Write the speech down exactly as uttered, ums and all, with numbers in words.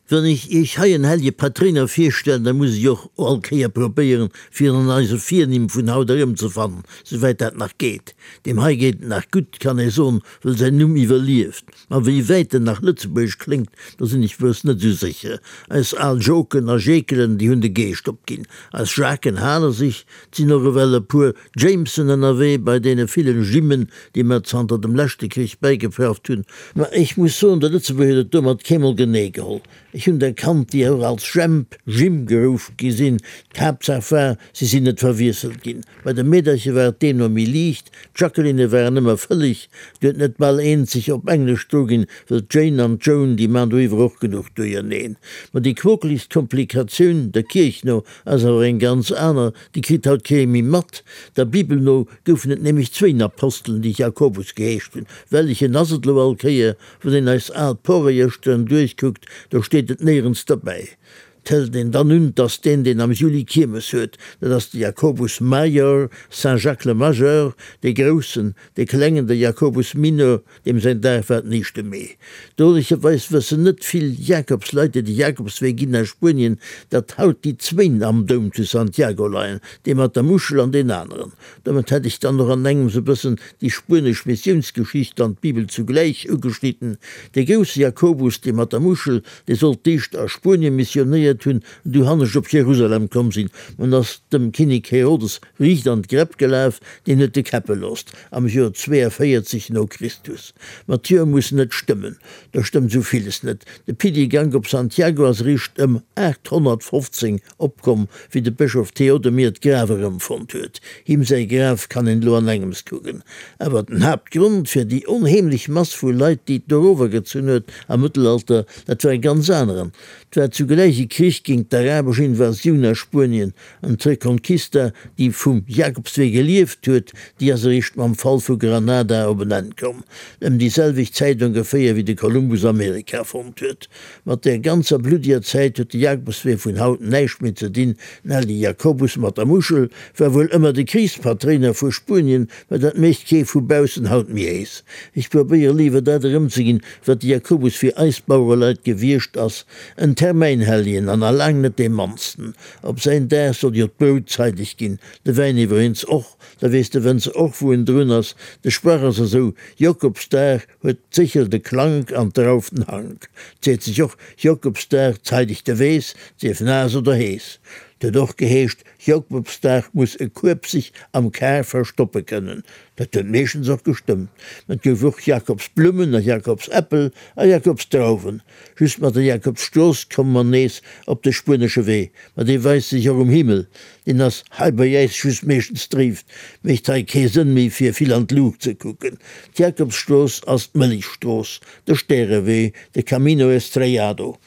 Wann ech Iech hei en hellege Patréiner virstellen, da muss ech och all Kéier probéieren, fir en an eise Virnimm vun haut erëmzefannen, souwäit dat nach geet. Deem hei geet et nach gutt, kann ee soen, wëll säin Numm iwwerlieft. Ma wéi wäit en nach lëtzebuergesch kléngt, do sinn ech wuess net esou sécher. Eis al Joken a Jekelen, déi hunn de Geescht opginn. Eis Jacqueën hale sech. 't sinn och ewell e puer Jamessen ënnerwee bei deene villen Jimmen, déi mer zanter dem leschte Krich bäigeprafft hunn. Ma ech muss soen, de Lëtzebuerger huet et domat keemol genee geholl. Ech hunn der kannt, déi och als Jemp, Jim geruff gi sinn. D'Haaptsaach war, si sinn net verwiesselt ginn. Bei de Meedercher war et deemno méi liicht, d'Jacquelinne waren ëmmer fëlleg, du huet net bal eent sech op Englesch druginn, wëll d'Jane an d'Joan, déi maan doriwwer och genuch Duerjerneen. Ma déi quokeligst Komplikatioun, der Kierch no, ass awer eng ganz aner, déi kritt haut kee méi mat. Der Bibel no goufen et nämlech zwéin Apostelen, déi Jakobus geheescht hunn. Wellechen ass et lo all Kéier? Wann een eis al Porejöschteren duerchkuckt, do steet et néierens derbäi. 't hëlt een dann un, 't ass deen, deen am Juli Kiermes huet, dat ass de Jacobus Major, Saint Jacques le Majeur, dee Groussen, dee Klengen, de Jacobus Minor, deem säin Dag war den éischte Mee. Drolecherweis wëssen net vill Jakobsleit, déi de Jakobswee ginn a Spuenien, datt haut déi zwéin am Doum zu Santiago leien, dee mat der Muschel an deen aneren. Domat hätt ech dann och an engems e bëssen déi spuenesch Missiounsgeschicht an d'Bibel zugläich ugeschnidden. Dee grousse Jakobus, dee mat der Muschel, dee sollt d'éischt a Spuenie missionéiert hunn an du hannescht op Jerusalem komm sinn. Mä en ass dem Kinnek Herodes riicht an d'Gräpp gelaf, deen huet e käppe loosst am Joer zweeënvéierzeg no Christus. Ma d'Joer mussen net stëmmen, do stëmmt esou villes net. De Pilgergank op Santiago ass eréischt ëm aathonnertfofzéng opkomm, wéi de Bëschof Theodomir d'Graf erëmfonnt huet. Him säi Graf kann een elo an engems kucken. Awer den Haaptgrond fir déi onheemlech Mass vu Leit, déi et dorower gezunn huet am Mëttelalter, dat war e ganz aneren. 't war zugläich e Krich géint d'arabesch Invasioun a Spuenien an d'Reconquista, déi vum Jakobswee gelieft huet, déi ass eréischt mam Fall vu Granada op en Enn komm, ëm déi selwecht Zäit ongeféier wéi de Kolumbus Amerika fonnt huet. Mat där ganzer bluddiger Zäit huet de Jakobswee vun haut näischt méi ze dinn. Den hellege Jakobus mat der Muschel war wuel ëmmer de Krichspatréiner vu Spuenien, mä dat mécht kee vu baussen haut méi héis. Ech probéiere léiwer dat erëmzeginn, wat de Jakobus fir eis Bauereleit gewiescht ass, en Termäinhelljen an a laang net dee mannsten. Op säin Dag soll jo d'Brout zeideg ginn, de Wäin iwwereens och, da weess de Wënzer och, wou en drun ass. De Sprach ass esou, Jokobsdag huet d'Séchel de Klank an d'Drauf den Hank. 't seet sech och, Jokobsdag zeideg de Weess, sief naass oder hees. 't huet och geheescht, Jokobsdag muss e Kueb sech am Kar verstoppe kënnen. Dat huet meeschtens och gestëmmt. Mä et gouf och Jakobsblummen a Jakobsäppel a Jakobsdrauwen. Just mat der Jakobsstrooss komme mer nees op de spuenesche Wee. Ma dee weist sech och um Himmel. Deen ass hei bei äis just meeschtens dréif. Mécht hei kee Sënn méi fir vill an d'Luucht ze kucken. D'Jakobsstrooss ass d'Mëllechstrooss, de Stärewee, de Camino Estrellado.